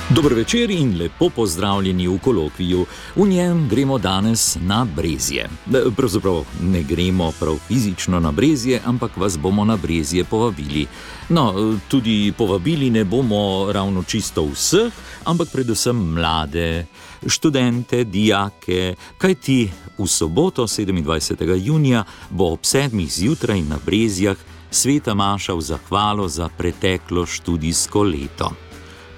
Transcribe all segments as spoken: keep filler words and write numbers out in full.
Dober večer in lepo pozdravljeni v kolokviju. V njem gremo danes na Brezje. Pravzaprav ne gremo prav fizično na Brezje, ampak vas bomo na Brezje povabili. No, tudi povabili ne bomo ravno čisto vseh, ampak predvsem mlade, študente, dijake, kajti v soboto sedemindvajsetega junija bo ob sedmih zjutraj na Brezjah sveta maša v zahvalo za preteklo študijsko leto.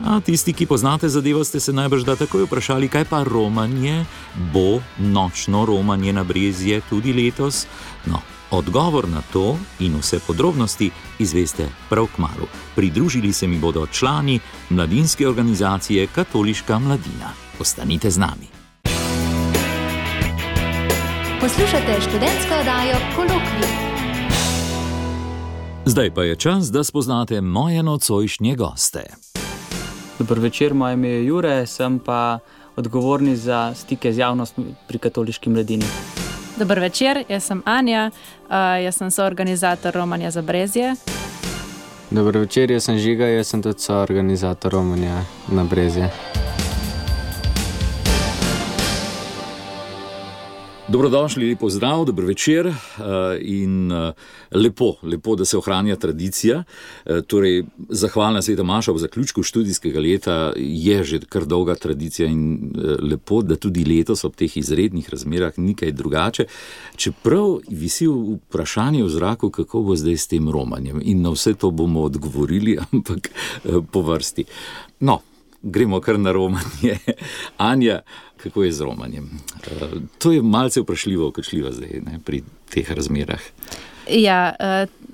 A tisti, ki poznate zadevo, ste se najbrž da takoj vprašali, kaj pa romanje? Bo nočno romanje na Brezje tudi letos? No, odgovor na to in vse podrobnosti izveste prav kmalu. Pridružili se mi bodo člani mladinske organizacije Katoliška mladina. Ostanite z nami. Poslušate študentsko oddajo Kolokvij. Zdaj pa je čas, da spoznate moje nocojšnje goste. Dober večer, moje ime je Jure, sem pa odgovorni za stike z javnostmi pri Katoliški mladini. Dober večer, jaz sem Anja, uh, jaz sem soorganizator romanja za Brezje. Dober večer, jaz sem Žiga, jaz sem tudi soorganizator romanja na Brezje. Dobrodošli, lepo zdrav, dober večer in lepo, lepo, da se ohranja tradicija. Torej, zahvalna sveta maša v zaključku študijskega leta je že kar dolga tradicija in lepo, da tudi letos ob teh izrednih razmerah ni kaj drugače. Čeprav visi vprašanje v zraku, kako bo zdaj s tem romanjem in na vse to bomo odgovorili, ampak po vrsti. No, gremo kar na romanje. Anja, kako je z romanjem? To je malce vprašljivo, vprašljivo zdaj, ne, pri teh razmerah. Ja,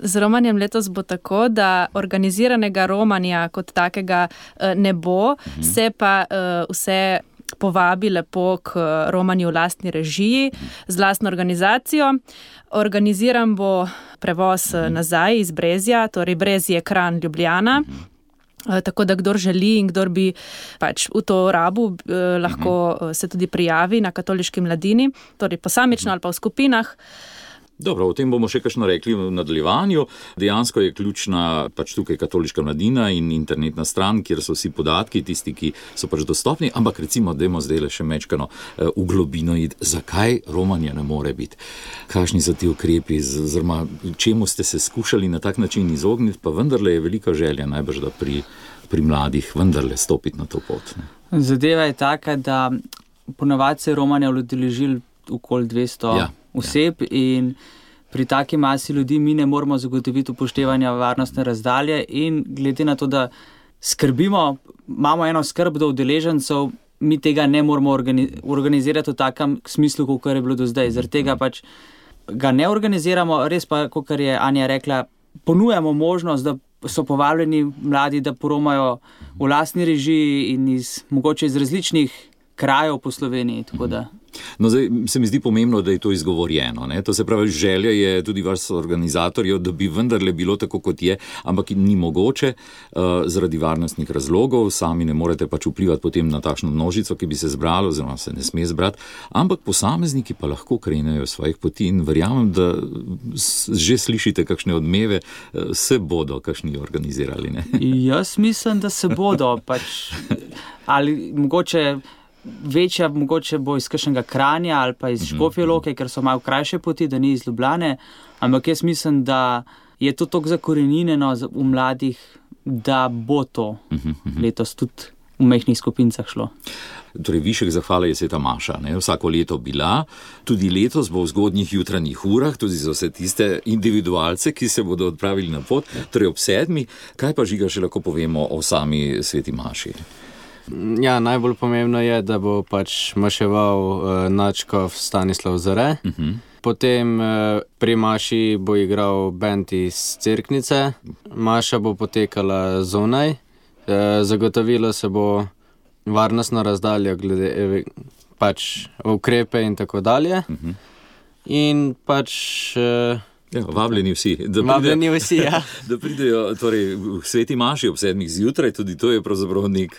z romanjem letos bo tako, da organiziranega romanja kot takega ne bo, mhm. se pa vse povabi lepo k romanju v lastni režiji, z lastno organizacijo. Organiziran bo prevoz mhm. nazaj iz Brezja, torej Brezje, Kranj, Ljubljana. Mhm. Tako da kdor želi in kdor bi pač v to rabu eh, lahko uh-huh. se tudi prijavi na Katoliški mladini, torej posamično ali pa v skupinah. Dobro, o tem bomo še kakšno rekli v nadaljevanju. Dejansko je ključna pač tukaj Katoliška mladina in internetna stran, kjer so vsi podatki, tisti, ki so pač dostopni, ampak recimo, dajmo zdaj le še mečkano uh, v globino iti, zakaj romanje ne more biti. Kakšni so ti ukrepi, oziroma čemu ste se skušali na tak način izogniti, pa vendarle je velika želja najbrž, da pri, pri mladih vendarle stopiti na to pot. Ne? Zadeva je taka, da ponavadi se romanja udeležili okoli dvesto ja. oseb in pri taki masi ljudi mi ne moramo zagotoviti upoštevanja varnostne razdalje in glede na to, da skrbimo, imamo eno skrb do udeležencev, mi tega ne moramo organizirati v takem smislu, kot je bilo do zdaj. Zaradi tega pač ga ne organiziramo, res pa, kot je Anja rekla, ponujamo možnost, da so povabljeni mladi, da poromajo v lastni režiji in iz, mogoče iz različnih krajev po Sloveniji, tako da. No, zdaj se mi zdi pomembno, da je to izgovorjeno. Ne? To se pravi, želja je tudi vaš organizatorjev, da bi vendarle bilo tako, kot je, ampak ni mogoče uh, zaradi varnostnih razlogov. Sami ne morete pač vplivati potem na takšno množico, ki bi se zbrala, oziroma se ne sme zbrati, ampak posamezniki pa lahko krenejo svojih poti in verjamem, da že slišite kakšne odmeve, uh, se bodo kakšni organizirali. Ne? Jaz mislim, da se bodo, pač, ali mogoče večja, mogoče bo iz kakšnega Kranja ali pa iz Škofje Loke, ker so malo krajše poti, da ni iz Ljubljane, ampak jaz mislim, da je to toliko zakorenjeno v mladih, da bo to letos tudi v majhnih skupincah šlo. Torej, višek zahvale je sveta maša, ne? Vsako leto bila, tudi letos bo v zgodnjih jutranjih urah, tudi za vse tiste individualce, ki se bodo odpravili na pot, torej ob sedmi. Kaj pa, Žiga, še lahko povemo o sami sveti maši? Ja, najbolj pomembno je, da bo pač maševal uh, nadškof Stanislav Zore. Uh-huh. Potem uh, pri maši bo igral bend iz Cerknice. Maša bo potekala zunaj. Uh, zagotovilo se bo varnostno razdaljo glede pač ukrepe in tako dalje. Uh-huh. In pač uh, Ja, vabljeni vsi, da vabljeni vsi, ja. Da pridejo torej, v sveti maši ob sedmih zjutraj, tudi to je pravzaprav nek,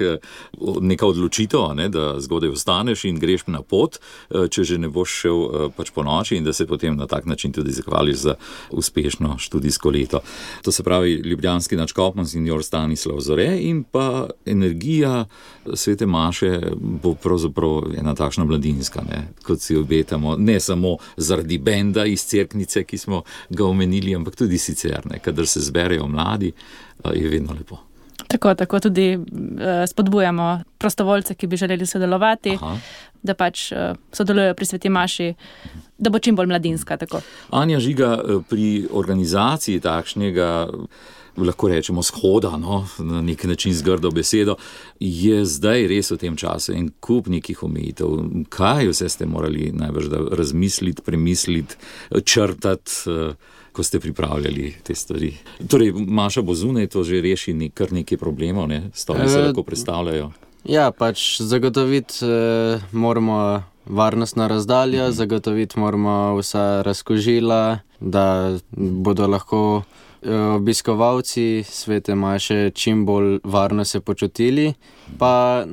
neka odločitev, ne, da zgodaj vstaneš in greš na pot, če že ne boš šel pač po noči in da se potem na tak način tudi zahvališ za uspešno študijsko leto. To se pravi ljubljanski nadškof monsignor Stanislav Zore in pa energija svete maše bo pravzaprav ena takšna mladinska, ne, kot si obetamo, ne samo zaradi benda iz Cerknice, ki smo ga omenili, ampak tudi sicer, ne, kadar se zberejo mladi, je vedno lepo. Tako, tako tudi uh, spodbujamo prostovoljce, ki bi želeli sodelovati, Aha. da pač uh, sodelujejo pri sveti maši, da bo čim bolj mladinska. Tako. Anja Žiga, pri organizaciji takšnega, lahko rečemo shoda, no, na nek način z grdo besedo, je zdaj res v tem času en kup nekih omejitev. Kaj vse ste morali najbrž razmisliti, premisliti, črtati, ko ste pripravljali te stvari? Torej, Maša bo zunaj, to že reši nek, kar nekaj problemov, ne? Stvari se lahko predstavljajo. Ja, pač zagotoviti eh, moramo varnostna razdalja, mm-hmm. zagotoviti moramo vsa razkožila, da bodo lahko obiskovalci svete maše čim bolj varno se počutili, pa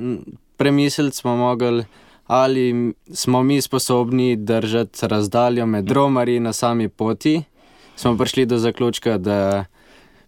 premisliti smo mogli, ali smo mi sposobni držati razdaljo med romarji na sami poti. Smo prišli do zaključka, da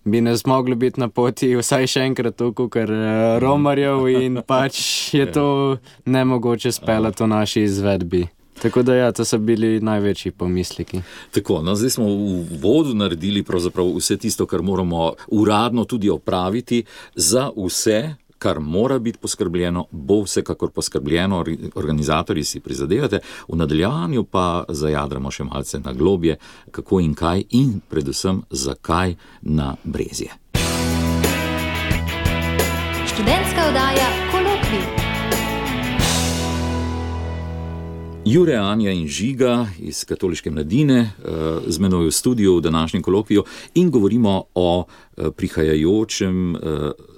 bi ne zmogli biti na poti vsaj še enkrat toliko, ker romarjev in pač je to nemogoče speljati v naši izvedbi. Tako da ja, to so bili največji pomisleki. Tako, no, zdaj smo v vodu naredili pravzaprav vse tisto, kar moramo uradno tudi opraviti. Za vse, kar mora biti poskrbljeno, bo vsekakor poskrbljeno, organizatorji si prizadevate. V nadaljevanju pa zajadramo še malce na globje, kako in kaj in predvsem zakaj na Brezje. Študentska oddaja Kolokvij. Jure, Anja in Žiga iz Katoliške mladine z menoj v studiu v današnjem kolokviju in govorimo o prihajajočem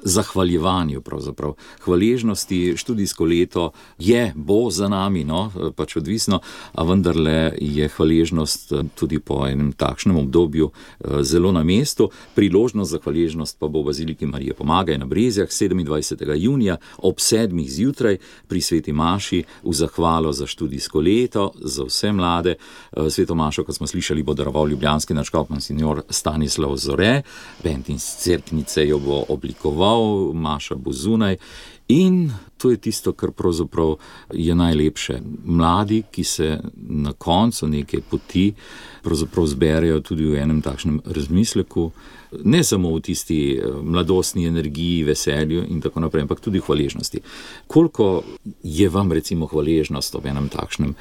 zahvaljevanju, pravzaprav hvaležnosti. Študijsko leto je, bo za nami, no, pač odvisno, a vendarle je hvaležnost tudi po enem takšnem obdobju zelo na mestu. Priložnost za hvaležnost pa bo v Baziliki Marije Pomagaj na Brezjah sedemindvajsetega junija ob sedmih zjutraj pri sveti maši v zahvalo za študijsko leto, za vse mlade. Sveto mašo, kot smo slišali, bo daroval ljubljanski nadškof monsignor Stanislav Zore, bend iz Cerknice jo bo oblikoval, Maša bo zunaj in to je tisto, kar pravzaprav je najlepše. Mladi, ki se na koncu neke poti pravzaprav zberejo tudi v enem takšnem razmisleku, ne samo v tisti mladostni energiji, veselju in tako naprej, ampak tudi hvaležnosti. Koliko je vam recimo hvaležnost ob enem takšnem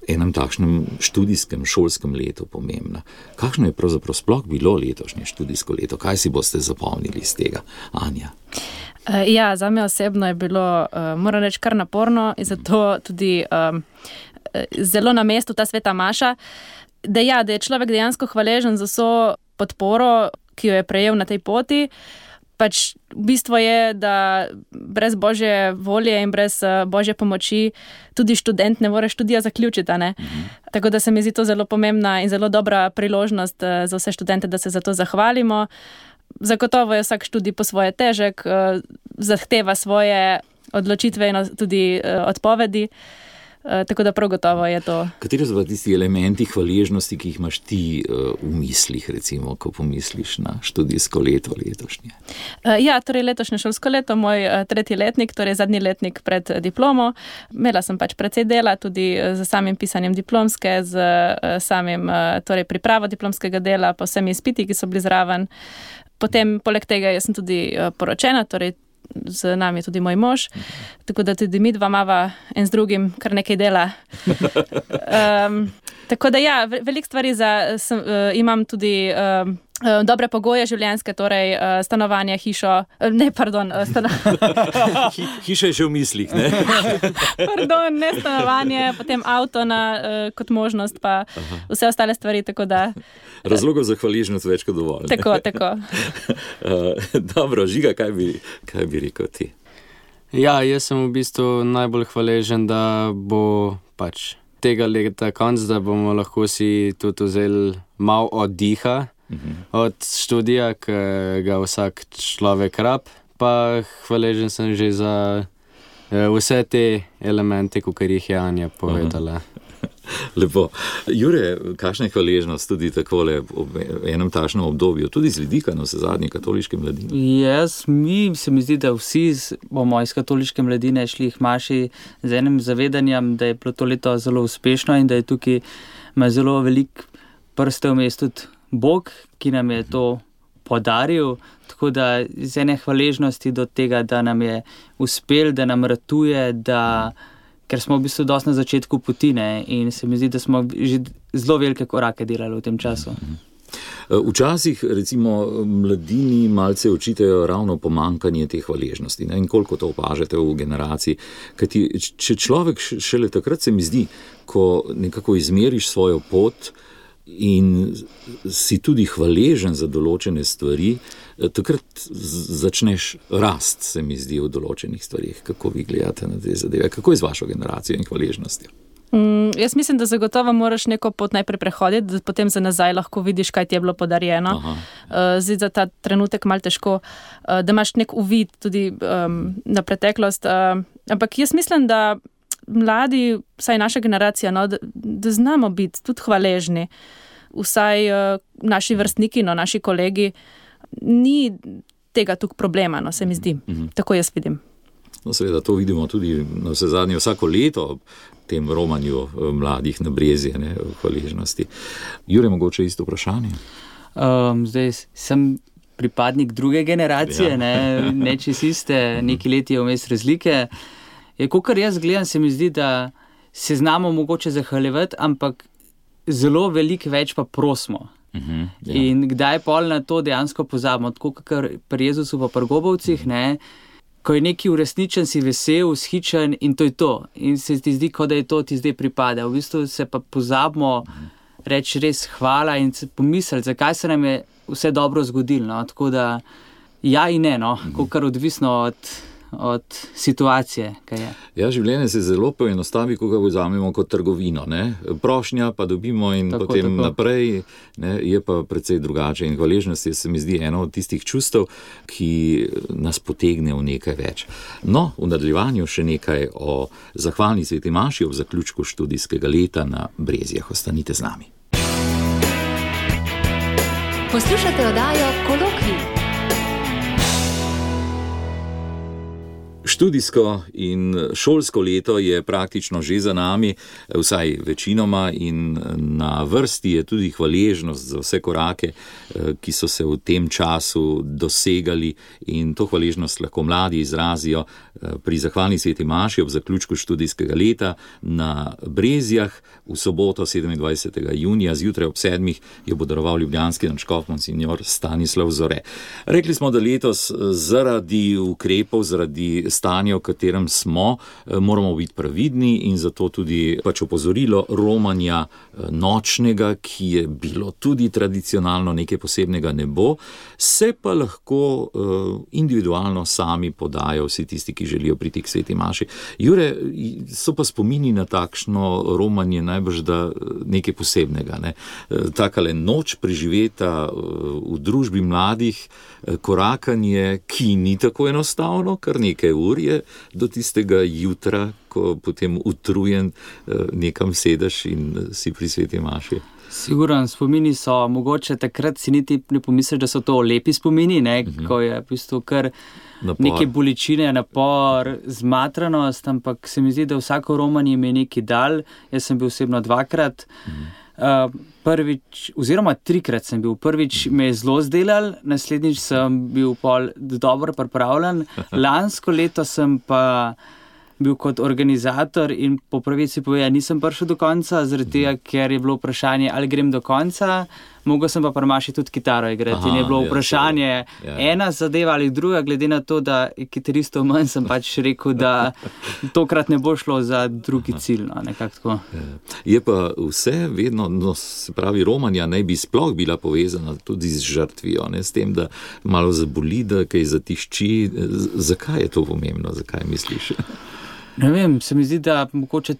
enem takšnem študijskem, šolskem letu pomembna? Kakšno je pravzaprav sploh bilo letošnje študijsko leto? Kaj si boste zapomnili iz tega, Anja? Ja, zame osebno je bilo, moram reči, kar naporno in zato tudi um, zelo na mestu ta sveta maša, da, ja, da je človek dejansko hvaležen za vso podporo, ki jo je prejel na tej poti. Pač bistvo je, da brez Božje volje in brez Božje pomoči tudi študent ne more študija zaključiti. Ne? Mm-hmm. Tako da se mi zdi to zelo pomembna in zelo dobra priložnost za vse študente, da se za to zahvalimo. Zagotovo je vsak študij po svoje težek, zahteva svoje odločitve in tudi odpovedi. Tako da prav gotovo je to. Kateri so pa tisti elementi hvaležnosti, ki jih imaš ti v mislih, recimo, ko pomisliš na študijsko leto letošnje? Ja, torej letošnje šolsko leto, moj tretji letnik, torej zadnji letnik pred diplomo. Imela sem pač precej dela tudi z samim pisanjem diplomske, z samim torej pripravo diplomskega dela, po vsemi izpiti, ki so bili zraven. Potem, poleg tega, jaz sem tudi poročena, torej z nami tudi moj mož, tako da tudi mi dva mava en z drugim kar nekaj dela. Um, tako da ja, veliko stvari za, sem, uh, imam tudi um, uh, dobre pogoje življenjske, torej uh, stanovanje, hišo, uh, ne, pardon, uh, stanovanje. Hiša je že v mislih, ne? Pardon, ne stanovanje, potem avto na, uh, kot možnost, pa Aha. vse ostale stvari, tako da razlogov za hvaležnost več kot dovolj. Ne? Tako, tako. uh, dobro, Žiga, kaj bi, kaj bi rekel ti? Ja, jaz sem v bistvu najbolj hvaležen, da bo pač tega leta konc, da bomo lahko si tudi vzeli malo oddiha uh-huh. od študija, ki ga vsak človek rab, pa hvaležen sem že za vse te elemente, kakor jih je Anja povedala. Uh-huh. Lepo. Jure, kakšna je hvaležnost tudi takole v enem takšnem obdobju, tudi z vidika na vse zadnje katoliške mladine? Jaz, mi se mi zdi, da vsi bomo iz katoliške mladine šli k maši z enim zavedanjem, da je bilo to leto zelo uspešno in da je tukaj ima zelo velik prste vmes tudi Bog, ki nam je to podaril, tako da z ene hvaležnosti do tega, da nam je uspel, da nam ratuje, da ker smo v bistvu dosti na začetku poti, ne, in se mi zdi, da smo že zelo velike korake delali v tem času. Včasih, recimo, mladini malce očitajo ravno pomankanje te hvaležnosti, ne, in koliko to opažate v generaciji. Kajti, če človek šele takrat se mi zdi, ko nekako izmeriš svojo pot in si tudi hvaležen za določene stvari, takrat začneš rast, se mi zdi, v določenih stvarih. Kako vi gledate na te zadeve? Kako je z vašo generacijo in hvaležnostjo? Mm, jaz mislim, da zagotovo moraš neko pot najprej prehoditi, da potem za nazaj lahko vidiš, kaj ti je bilo podarjeno. Uh, zdaj za ta trenutek malo težko, uh, da imaš nek uvid tudi um, na preteklost. Uh, ampak jaz mislim, da mladi, vsaj naša generacija, no, da, da znamo biti tudi hvaležni. Vsaj uh, naši vrstniki, no, naši kolegi, ni tega tukaj problema, no, se mi zdi. Mm-hmm. Tako jaz vidim. No, seveda, to vidimo tudi na vse zadnje vsako leto tem romanju mladih na Brezje, ne, v hvaležnosti. Jure, mogoče isto vprašanje? Um, zdaj sem pripadnik druge generacije, ja. ne, ne čez iste, neki leti je vmes razlike. Je, kakor jaz gledam, se mi zdi, da se znamo mogoče zahvaljevati, ampak zelo veliko več pa prosimo. Uh-huh, ja. In kdaj pol na to dejansko pozabimo, tako kakor pri Jezusu pa pri Gobovcih, ne, ko je neki uresničen, si vesel, vzhičen in to je to. In se ti zdi, kot da je to ti zdaj pripada. V bistvu se pa pozabimo uh-huh. reči res hvala in pomisliti, zakaj se nam je vse dobro zgodilo. No? Tako da ja in ne, no? uh-huh. kakor odvisno od od situacije, kaj je. Ja, življenje se zelo poenostavi, ko ga vzamemo kot trgovino, ne? Prošnja pa dobimo in tako, potem tako. Naprej, ne? Je pa precej drugače in hvaležnost je, se mi zdi, eno od tistih čustev, ki nas potegne v nekaj več. No, v nadaljevanju še nekaj o zahvalni sveti maši ob zaključku študijskega leta na Brezjah. Ostanite z nami. Poslušate oddajo Kolokvij. Študijsko in šolsko leto je praktično že za nami, vsaj večinoma, in na vrsti je tudi hvaležnost za vse korake, ki so se v tem času dosegali, in to hvaležnost lahko mladi izrazijo pri zahvalni sveti maši ob zaključku študijskega leta na Brezjah v soboto sedemindvajsetega junija zjutraj ob sedmih jo bo daroval ljubljanski nadškof monsignor Stanislav Zore. Rekli smo, da letos zaradi ukrepov, zaradi stanja, v katerem smo, moramo biti previdni, in zato tudi pač opozorilo romanja nočnega, ki je bilo tudi tradicionalno nekaj posebnega, ne bo, se pa lahko individualno sami podajo vsi tisti, ki želijo priti k sveti maši. Jure, so pa spomini na takšno romanje najbrž da nekaj posebnega, ne? Takale noč preživeta v družbi mladih, korakanje, ki ni tako enostavno, kar nekaj ur je do tistega jutra, ko potem utrujen nekam sedeš in si pri sveti maši. Siguran, spomini so, mogoče takrat si niti ne pomisliš, da so to lepi spomini, ne, uh-huh. ko je v bistvu kar napor. Neke bolečine, napor, zmatranost, ampak se mi zdi, da vsako romanje mi je nekaj dal. Jaz sem bil osebno dvakrat, uh-huh. uh, prvič, oziroma trikrat sem bil. Prvič me je zelo zdelal, naslednjič sem bil pol dobro pripravljen, lansko leto sem pa bil kot organizator in po pravici povedal, nisem prišel do konca, zaradi tega, ker je bilo vprašanje, ali grem do konca, mogel sem pa pri maši tudi kitaro igrati. Aha, in je bilo vprašanje, ja, ja. ena zadeva ali druga, glede na to, da je kitaristov manj, sem pač rekel, da tokrat ne bo šlo za drugi cilj. No, nekako tako. Je pa vse vedno, no, se pravi, romanja naj bi sploh bila povezana tudi z žrtvijo, ne, s tem, da malo zaboli, da kaj zatišči. Zakaj je to pomembno? Zakaj misliš? Ne vem, se mi zdi, da mogoče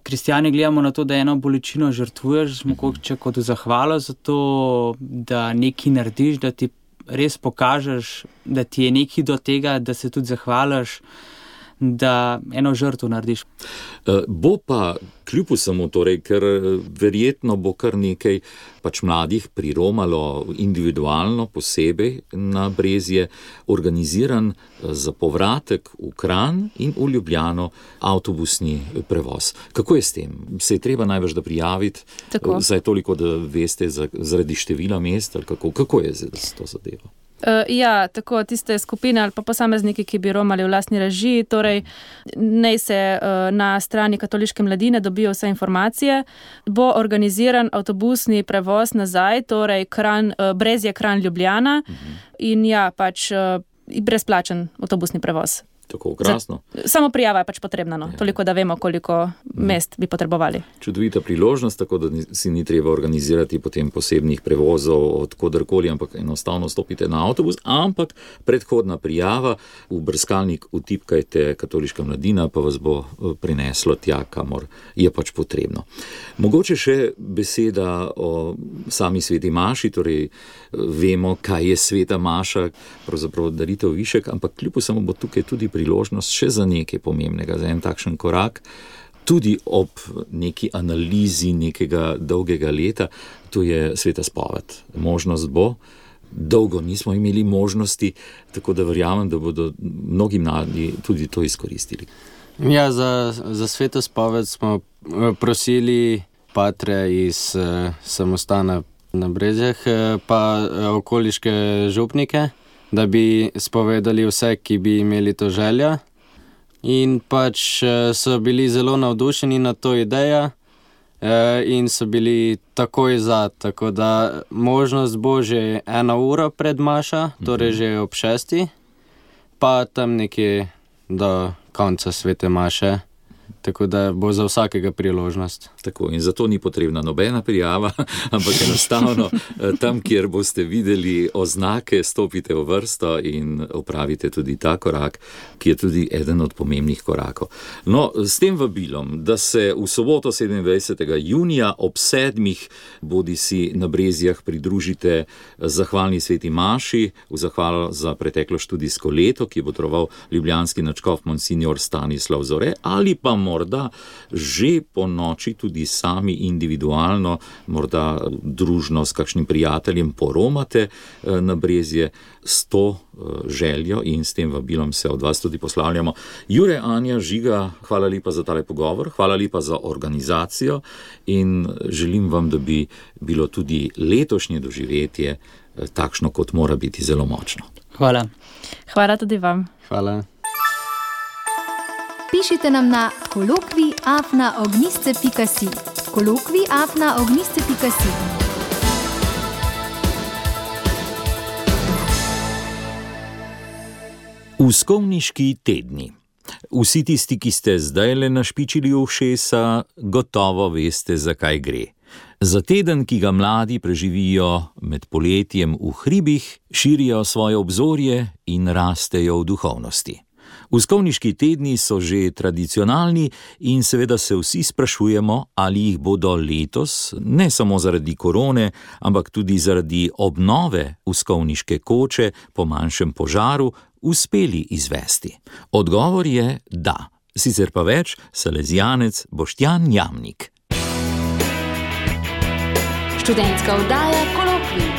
kristjani gledamo na to, da eno bolečino žrtvuješ, mogoče kot zahvalo za to, da nekaj narediš, da ti res pokažeš, da ti je nekaj do tega, da se tudi zahvališ, da eno žrtvo narediš. Bo pa kljub vsemu, torej, ker verjetno bo kar nekaj pač mladih priromalo individualno, posebej na Brezje, organiziran za povratek v Kranj in v Ljubljano avtobusni prevoz. Kako je s tem? Se je treba največ da prijaviti? Tako. Zdaj toliko, da veste zaradi števila mest, ali kako, kako je z to zadevo? Uh, ja, tako tiste skupine ali pa posamezniki, ki bi romali v lastni režiji, torej naj se uh, na strani Katoliške mladine dobijo vse informacije, bo organiziran avtobusni prevoz nazaj, torej Kranj, uh, Brezje, Kranj, Ljubljana uh-huh. in ja, pač uh, brezplačen avtobusni prevoz. Tako krasno. Za, samo prijava je pač potrebna, no. Toliko, da vemo, koliko mest bi potrebovali. Čudovita priložnost, tako da si ni treba organizirati potem posebnih prevozov od kodarkoli, ampak enostavno stopite na avtobus, ampak predhodna prijava, v brskalnik vtipkajte Katoliška mladina, pa vas bo prineslo tja, kamor je pač potrebno. Mogoče še beseda o sami sveti maši, torej vemo, kaj je sveta maša, pravzaprav daritev višek, ampak kljub vsemu bo tukaj tudi priložnost še za nekaj pomembnega, za en takšen korak, tudi ob neki analizi nekega dolgega leta, to je sveta spoved. Možnost bo, dolgo nismo imeli možnosti, tako da verjamem, da bodo mnogi mladi tudi to izkoristili. Ja, za, za sveto spoved smo prosili patre iz uh, samostana na Brezjah, pa uh, okoliške župnike, da bi spovedali vse, ki bi imeli to željo. In pač so bili zelo navdušeni na to idejo in so bili takoj za, tako da možnost bo že eno uro pred mašo, torej že ob šesti, pa tam nekje do konca svete maše. Tako da bo za vsakega priložnost. Tako, in zato ni potrebna nobena prijava, ampak enostavno tam, kjer boste videli oznake, stopite v vrsto in opravite tudi ta korak, ki je tudi eden od pomembnih korakov. No, s tem vabilom, da se v soboto sedemindvajsetega junija ob sedmih bodi si na Brezjah pridružite zahvalni sveti maši, v zahvalo za preteklo študijsko leto, ki bo troval ljubljanski nadškof monsignor Stanislav Zore, ali pa morda že po noči tudi sami individualno, morda družno s kakšnim prijateljem poromate na Brezje s to željo in s tem vabilom se od vas tudi poslavljamo. Jure, Anja, Žiga, hvala lepa za tale pogovor, hvala lepa za organizacijo in želim vam, da bi bilo tudi letošnje doživetje takšno, kot mora biti, zelo močno. Hvala. Hvala tudi vam. Hvala. Pišite nam na kolokvij afna ognjišče pika si. kolokvij afna ognjišče pika si. Uskovniški tedni. Vsi tisti, ki ste zdajle našpičili ušesa, gotovo veste, zakaj gre. Za teden, ki ga mladi preživijo med poletjem v hribih, širijo svoje obzorje in rastejo v duhovnosti. Uskovniški tedni so že tradicionalni in seveda se vsi sprašujemo, ali jih bodo letos, ne samo zaradi korone, ampak tudi zaradi obnove uskovniške koče po manjšem požaru, uspeli izvesti. Odgovor je da, sicer pa več salezijanec Boštjan Jamnik. Študentska oddaja Kolokvij.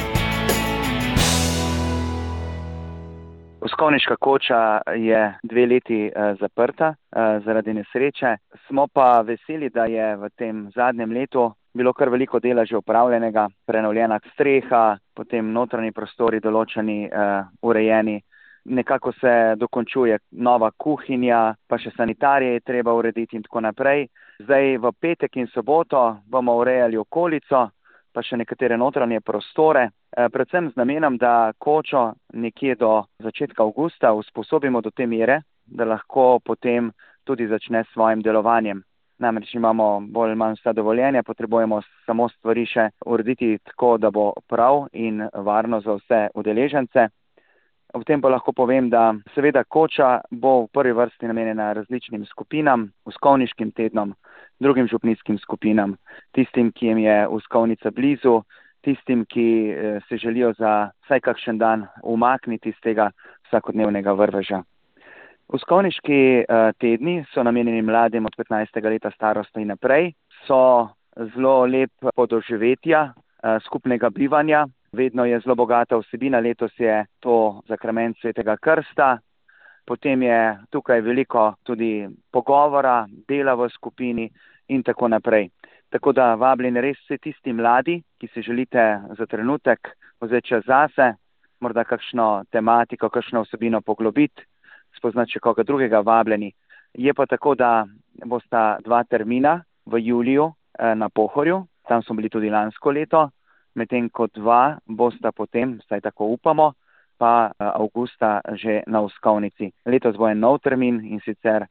Uskovniška koča je dve leti uh, zaprta uh, zaradi nesreče. Smo pa veseli, da je v tem zadnjem letu bilo kar veliko dela že opravljenega, prenovljena streha, potem notranji prostori določeni, uh, urejeni. Nekako se dokončuje nova kuhinja, pa še sanitarije je treba urediti in tako naprej. Zdaj v petek in soboto bomo urejali okolico, pa še nekatere notranje prostore, predvsem z namenom, da kočo nekje do začetka avgusta usposobimo do te mere, da lahko potem tudi začne s svojim delovanjem. Namreč imamo bolj manj vsa dovoljenja, potrebujemo samo stvari še urediti tako, da bo prav in varno za vse udeležence. Ob tem pa lahko povem, da seveda koča bo v prvi vrsti namenjena različnim skupinam, uskovniškim tednom, drugim župnijskim skupinam, tistim, ki jim je Uskovnica blizu, tistim, ki se želijo za vsaj kakšen dan umakniti iz tega vsakodnevnega vrveža. Uskovniški tedni so namenjeni mladim od petnajstega leta starosti in naprej, so zelo lep podoživetja skupnega bivanja, vedno je zelo bogata vsebina, letos je to zakrament Svetega krsta, potem je tukaj veliko tudi pogovora, dela v skupini in tako naprej. Tako da vabljeni res vsi tisti mladi, ki si želite za trenutek vzeti čas zase, morda kakšno tematiko, kakšno vsebino poglobiti, spoznati še koga drugega, vabljeni. Je pa tako, da bosta dva termina v juliju na Pohorju, tam smo bili tudi lansko leto, medtem ko dva bosta potem, vsaj tako upamo, pa avgusta že na Uskovnici. Letos bo en nov termin in sicer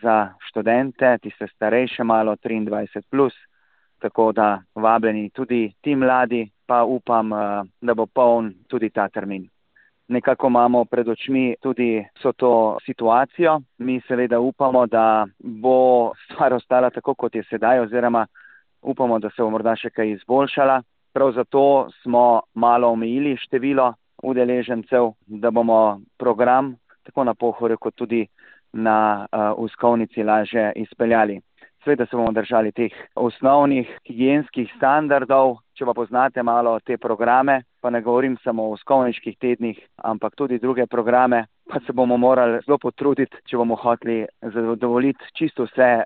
za študente, tiste starejše malo, triindvajset plus, tako da vabljeni tudi ti mladi, pa upam, da bo poln tudi ta termin. Nekako imamo pred očmi tudi vso to situacijo. Mi seveda upamo, da bo stvar ostala tako, kot je sedaj, oziroma upamo, da se bo morda še kaj izboljšala. Prav zato smo malo omejili število udeležencev, da bomo program tako na Pohorju kot tudi na uh, Uskovnici lažje izpeljali. Sveda se bomo držali teh osnovnih higienskih standardov, če pa poznate malo te programe, pa ne govorim samo o uskovniških tednih, ampak tudi druge programe, pa se bomo morali zelo potruditi, če bomo hoteli zadovoljiti čisto vse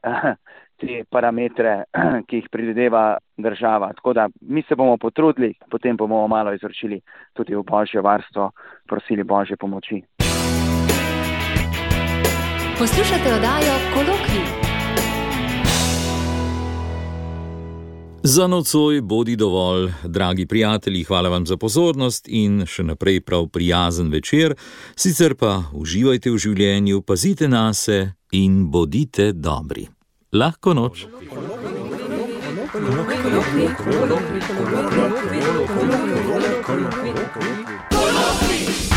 te parametre, ki jih predvideva država. Tako da mi se bomo potrudili, potem bomo malo izročili tudi v Božje varstvo, prosili Božje pomoči. Poslušate oddajo Kolokvij. Za nocoj bodi dovolj, dragi prijatelji, hvala vam za pozornost in še naprej prav prijazen večer, sicer pa uživajte v življenju, pazite nase in bodite dobri. Lahko noč. Kolokvij.